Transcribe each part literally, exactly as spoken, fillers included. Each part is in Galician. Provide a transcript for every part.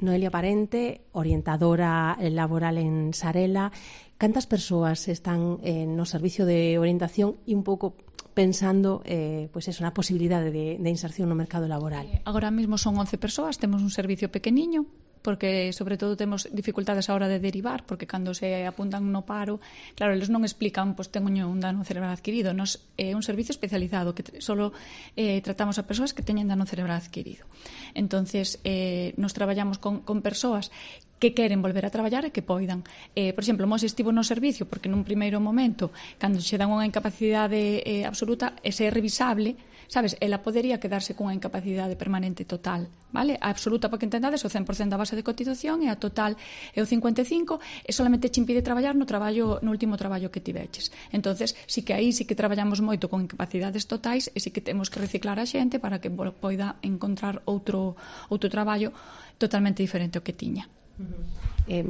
Noelia Parente, orientadora laboral en Sarela. Cantas persoas están eh, no servicio de orientación e un pouco pensando eh, pues eso, na posibilidade de, de inserción no mercado laboral? Eh, agora mesmo son once persoas, temos un servicio pequeniño, porque sobre todo temos dificultades a hora de derivar, porque cando se apuntan no paro, claro, eles non explican, pois teño un dano cerebral adquirido. Nos é un servicio especializado que solo eh, tratamos a persoas que teñen dano cerebral adquirido. Entonces, eh, nos traballamos con, con persoas que queren volver a traballar e que poidan. Eh, por exemplo, Mos estivo no servicio porque nun primeiro momento, cando se dan unha incapacidade eh, absoluta, ese é revisable, sabes, ela podería quedarse cunha incapacidade permanente total, vale? A absoluta, para que entendades, o cen por cento da base de cotización e a total é o cincuenta e cinco por cento e solamente che impide traballar no traballo no último traballo que tiveches. Entonces, sí que aí sí que traballamos moito con incapacidades totais e sí que temos que reciclar a xente para que poida encontrar outro outro traballo totalmente diferente ao que tiña. Eh,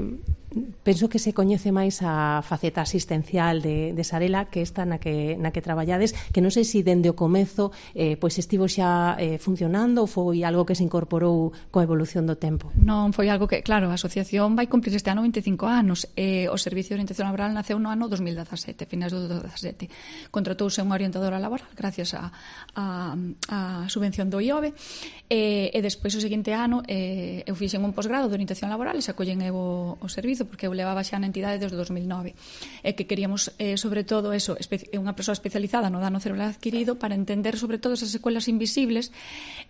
penso que se coñece máis a faceta asistencial de, de Sarela que esta na que, na que traballades, que non sei se dende o comezo eh, pois estivo xa eh, funcionando ou foi algo que se incorporou coa evolución do tempo. Non, foi algo que, claro, a asociación vai cumplir este ano vinte e cinco anos e o Servicio de Orientación Laboral naceu no ano dos mil dezasete, finais do dezasete. Contratouse unha orientadora laboral gracias a, a, a subvención do I O B e, e despois o seguinte ano eh, eu fixen un posgrado de orientación laboral e se acollen eu o, o servizo porque eu levaba xa na entidade desde o dos mil nove e que queríamos, eh, sobre todo, eso, espe- unha persoa especializada no dano cerebral adquirido para entender, sobre todo, esas secuelas invisibles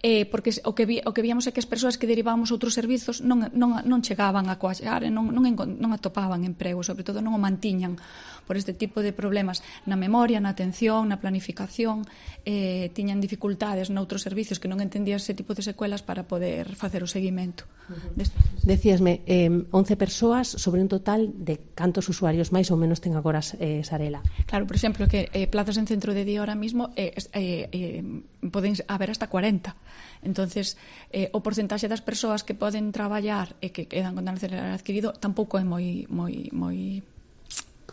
eh, porque o que, vi, o que víamos é que as persoas que derivábamos a outros servizos non, non, non chegaban a coaxar, non, non, non atopaban emprego, sobre todo non o mantiñan por este tipo de problemas na memoria, na atención, na planificación, eh, tiñan dificultades noutros servicios que non entendían ese tipo de secuelas para poder facer o seguimento. Uh-huh. Decíasme, eh, once persoas sobre un total de cantos usuarios máis ou menos ten agora eh, Sarela? Claro, por exemplo, que eh, plazas en centro de día ahora mismo eh, eh, eh, poden haber hasta cuarenta. Entonces, eh, o porcentaxe das persoas que poden traballar e que quedan con dano cerebral adquirido tampouco é moi moi moi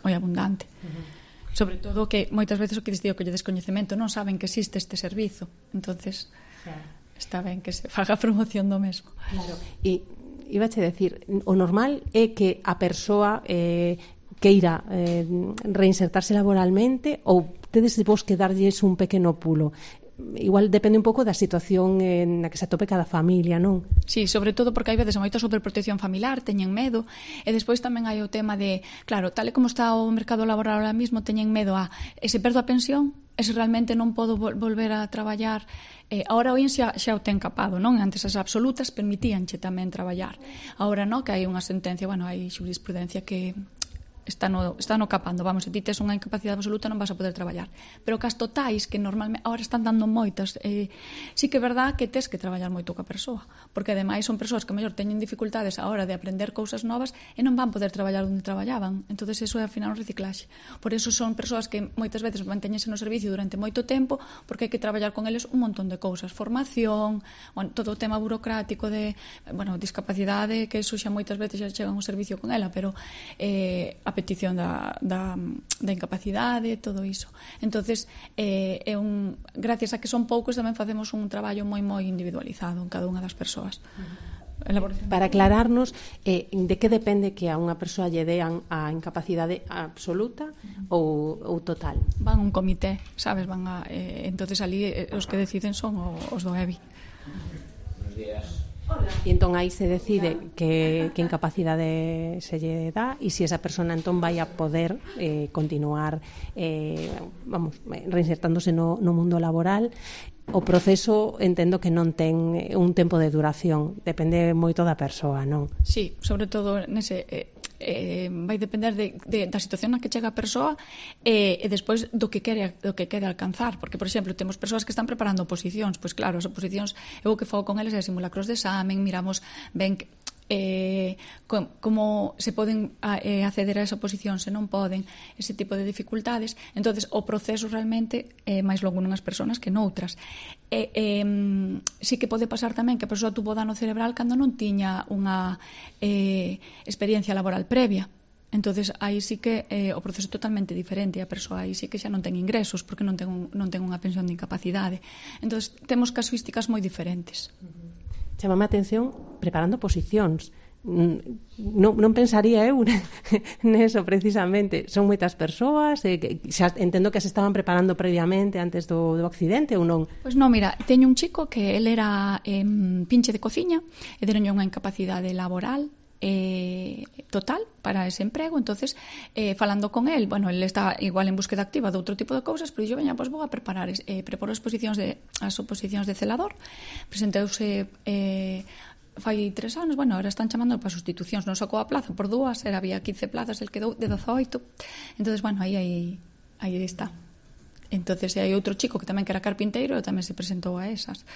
moi abundante. Uh-huh. Sobre todo que moitas veces o que digo que lle descoñecemento non saben que existe este servizo. Entonces, claro, está ben que se faga promoción do mesmo. Claro. E ibache decir, o normal é que a persoa eh, queira eh, reinsertarse laboralmente ou tedes vos que darlles un pequeno pulo? Igual depende un pouco da situación na que se atope cada familia, non? Sí, sobre todo porque hai veces moita sobreprotección familiar, teñen medo, e despois tamén hai o tema de, claro, tal e como está o mercado laboral ahora mismo, teñen medo a, e se perdo a pensión, e se realmente non podo volver a traballar, eh, ahora o I N S xa, xa o ten capado, non? Antes as absolutas permitíanche tamén traballar. Ahora non, que hai unha sentencia, bueno, hai jurisprudencia que está no, está no capando, vamos, se ti tes unha incapacidade absoluta non vas a poder traballar, pero cas totais que normalmente ahora están dando moitas, eh, sí que é verdad que tes que traballar moito ca persoa, porque ademais son persoas que mellor teñen dificultades a hora de aprender cousas novas e non van poder traballar onde traballaban, entonces eso é ao final un reciclaxe. Por eso son persoas que moitas veces mantéñense no servicio durante moito tempo porque hai que traballar con eles un montón de cousas, formación, bueno, todo o tema burocrático de, bueno, discapacidade, que eso xa moitas veces xa chegan un servicio con ela, pero eh, a petición da, da, da incapacidade, todo iso. Entonces, eh, é un, gracias a que son poucos, tamén facemos un traballo moi moi individualizado en cada unha das persoas. Uh-huh. Para aclararnos, eh, de que depende que a unha persoa lle dean a incapacidade absoluta ou, ou total? Van un comité, sabes, van a, eh, entonces ali eh, os que deciden son os do E B I. Buenos días. E entón aí se decide que, que incapacidade se lle dá e se esa persona entón vai a poder eh, continuar eh, vamos, reinsertándose no, no mundo laboral. O proceso entendo que non ten un tempo de duración, depende moito da persoa, non? Sí, sobre todo nese... Eh, Eh, vai depender de, de, da situación na que chega a persoa e, e despois do que quere do que quere alcanzar, porque, por exemplo, temos persoas que están preparando oposicións, pois claro, as oposicións eu o que fago con eles é simulacros de examen, miramos ben eh, com, como se poden a, eh, acceder a esa oposición, se non poden, ese tipo de dificultades. Entonces o proceso realmente é máis longo nunhas persoas que noutras. E, eh, sí que pode pasar tamén que a persoa tuvo dano cerebral cando non tiña unha eh, experiencia laboral previa. Entonces aí sí que eh, o proceso é totalmente diferente, a persoa aí sí que xa non ten ingresos porque non ten, un, non ten unha pensión de incapacidade. Entonces temos casuísticas moi diferentes. Uh-huh. chamame a atención preparando posicións. Non, non pensaría eu neso precisamente. Son moitas persoas, eh, que xa entendo que se estaban preparando previamente antes do, do accidente ou non? Pois non, mira, teño un chico que ele era eh, pinche de cociña e deronlle unha incapacidade laboral eh, total para ese emprego. Entonces, eh, falando con el, bueno, ele está igual en búsqueda activa de outro tipo de cousas, pero yo, veña, pois vou a preparar eh, preparo as posicións de, as oposicións de celador. Presenteuse eh, fai tres anos, bueno, ahora están chamando para sustitucións, non sacou a plaza por dúas, era había quince plazas, el quedou de dezoito. Entonces, bueno, aí aí aí está. Entonces, hai outro chico que tamén que era carpinteiro e tamén se presentou a esas.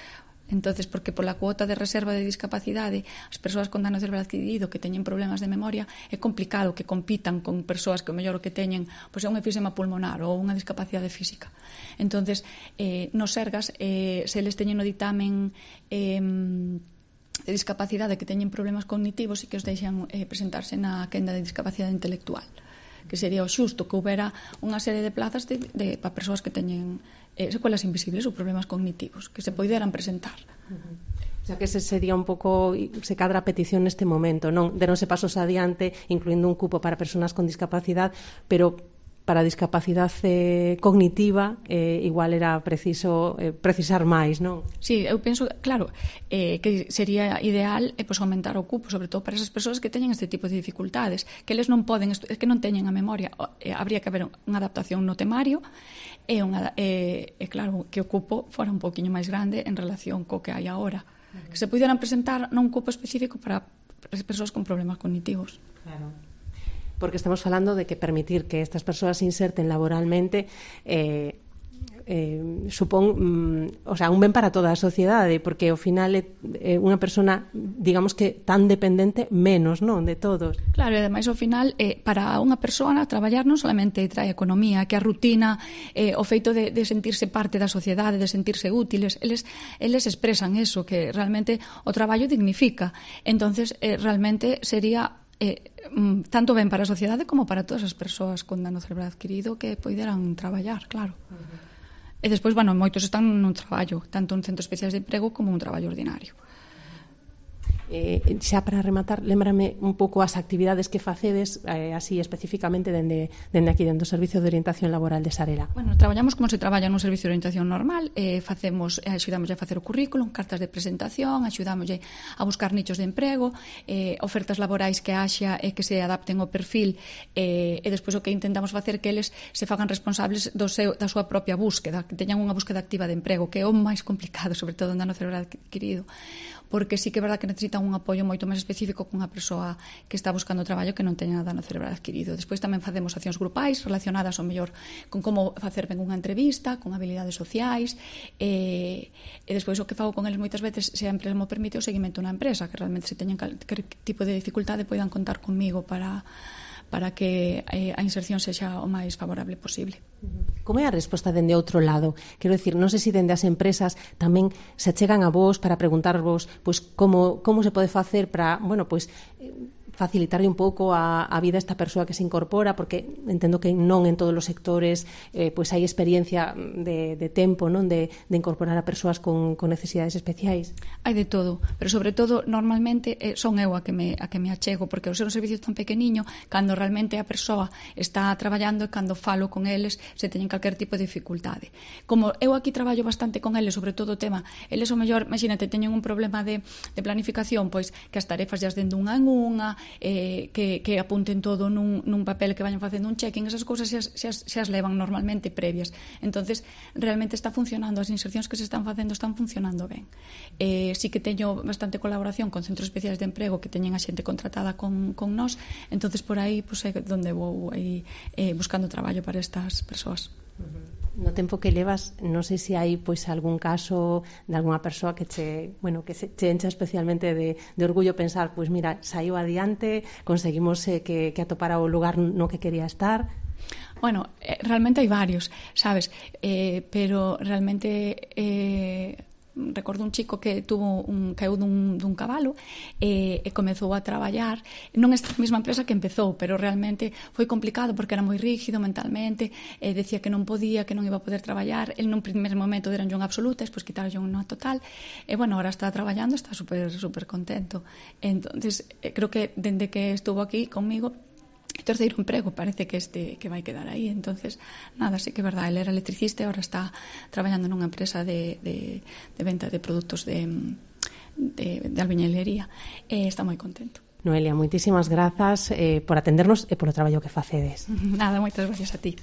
Entonces, porque pola cuota de reserva de discapacidade, as persoas con dano cerebral adquirido que teñen problemas de memoria, é complicado que compitan con persoas que o mellor o que teñen pois é un efisema pulmonar ou unha discapacidade física. Entonces, eh, nos Sergas, eh, se eles teñen no ditamen eh, de discapacidade que teñen problemas cognitivos e que os deixan eh, presentarse na quenda de discapacidade intelectual, que sería o xusto que houbera unha serie de plazas de, de, para persoas que teñen eh, secuelas invisibles ou problemas cognitivos que se poideran presentar. Uh-huh. O sea que ese sería un pouco, se cadra a petición neste momento, non? Deronse pasos adiante, incluindo un cupo para persoas con discapacidade, pero para a discapacidade eh, cognitiva eh, igual era preciso eh, precisar máis, non? Sí, eu penso, claro, eh, que sería ideal eh, pues, aumentar o cupo, sobre todo para esas persoas que teñen este tipo de dificultades, que eles non poden, é que non teñen a memoria, eh, habría que haber unha adaptación no temario e, unha, eh, eh, claro, que o cupo fora un poquinho máis grande en relación co que hai agora. Uh-huh. Que se puderan presentar non un cupo específico para as persoas con problemas cognitivos. Claro. Porque estamos falando de que permitir que estas persoas se inserten laboralmente eh, eh, supón mm, o sea, un ben para toda a sociedade, porque ao final é eh, unha persona, digamos que tan dependente menos, non, de todos. Claro, e ademais ao final eh, para unha persona traballar non solamente trae economía, que a rutina, eh, o feito de, de sentirse parte da sociedade, de sentirse útiles, eles, eles expresan eso, que realmente o traballo dignifica. Entonces, eh, realmente sería eh, tanto ben para a sociedade como para todas as persoas con dano cerebral adquirido que poideran traballar, claro. Uh-huh. E despois, bueno, moitos están nun traballo, tanto en centros especiais de emprego como un traballo ordinario. Eh, xa para rematar, lémbrame un pouco as actividades que facedes eh, así especificamente dende, dende aquí, dentro do Servicio de Orientación Laboral de Sarela. Bueno, traballamos como se traballa nun servicio de orientación normal, eh, facemos, eh, axudamos a facer o currículum, cartas de presentación, axudamos a buscar nichos de emprego, eh, ofertas laborais que haxa e eh, que se adapten ao perfil, eh, e despois o que intentamos facer que eles se fagan responsables do seu, da súa propia búsqueda, que teñan unha búsqueda activa de emprego, que é o máis complicado, sobre todo en dano cerebral adquirido, porque sí que é verdad que necesitan un apoio moito máis específico con unha persoa que está buscando traballo que non teña dano cerebral adquirido. Despois tamén facemos accións grupais relacionadas ao mellor con como facer ben unha entrevista, con habilidades sociais, e, e despois o que fago con eles moitas veces, se a empresa mo permite, o seguimento na empresa, que realmente se teñen calquer tipo de dificultade poidan contar comigo para para que eh, a inserción sexa o máis favorable posible. Como é a resposta dende outro lado? Quero dicir, non sei se dende as empresas tamén se chegan a vos para preguntarvos pois como, como se pode facer para, bueno, pois facilitarle un pouco a, a vida a esta persoa que se incorpora, porque entendo que non en todos os sectores eh, pois hai experiencia de, de tempo, non, de, de incorporar a persoas con, con necesidades especiais. Hai de todo, pero sobre todo normalmente eh, son eu a que me a que me achego, porque ao ser un servicio tan pequeniño, cando realmente a persoa está traballando e cando falo con eles se teñen calquer tipo de dificultade. Como eu aquí traballo bastante con eles, sobre todo o tema, eles o mellor, imagínate, teñen un problema de, de planificación, pois que as tarefas llas den dunha en unha, Eh, que, que apunten todo nun, nun papel, que vayan facendo un check-in, esas cousas xa, xa, xa as levan normalmente previas. Entonces realmente está funcionando, as insercións que se están facendo están funcionando ben. Eh, sí que teño bastante colaboración con centros especiais de emprego que teñen a xente contratada con, con nós, entonces por aí pues, é donde vou aí, eh, buscando traballo para estas persoas. No tempo que levas, non sei se hai pois algún caso de algunha persoa que che, bueno, que se che encha especialmente de, de orgullo pensar, pois mira, saiu adiante, conseguimos eh, que, que atopara o lugar no que quería estar. Bueno, eh, realmente hai varios, sabes, eh, pero realmente eh, recordo un chico que tuvo un caeu dun, dun cabalo e, e comezou a traballar non esta mesma empresa que empezou, pero realmente foi complicado porque era moi rígido mentalmente, e decía que non podía, que non iba a poder traballar. El nun primer momento deranlle unha absoluta, despois quitaronlle unha total, e bueno, ahora está traballando, está super super contento. Entonces, creo que dende que estuvo aquí conmigo, o terceiro emprego parece que este que vai quedar aí. Entonces, nada, sí que é verdade, ele era electricista e agora está traballando nunha empresa de, de, de venta de produtos de, de, de albañilería, e está moi contento. Noelia, moitísimas grazas eh, por atendernos e polo traballo que facedes. Nada, moitas gracias a ti.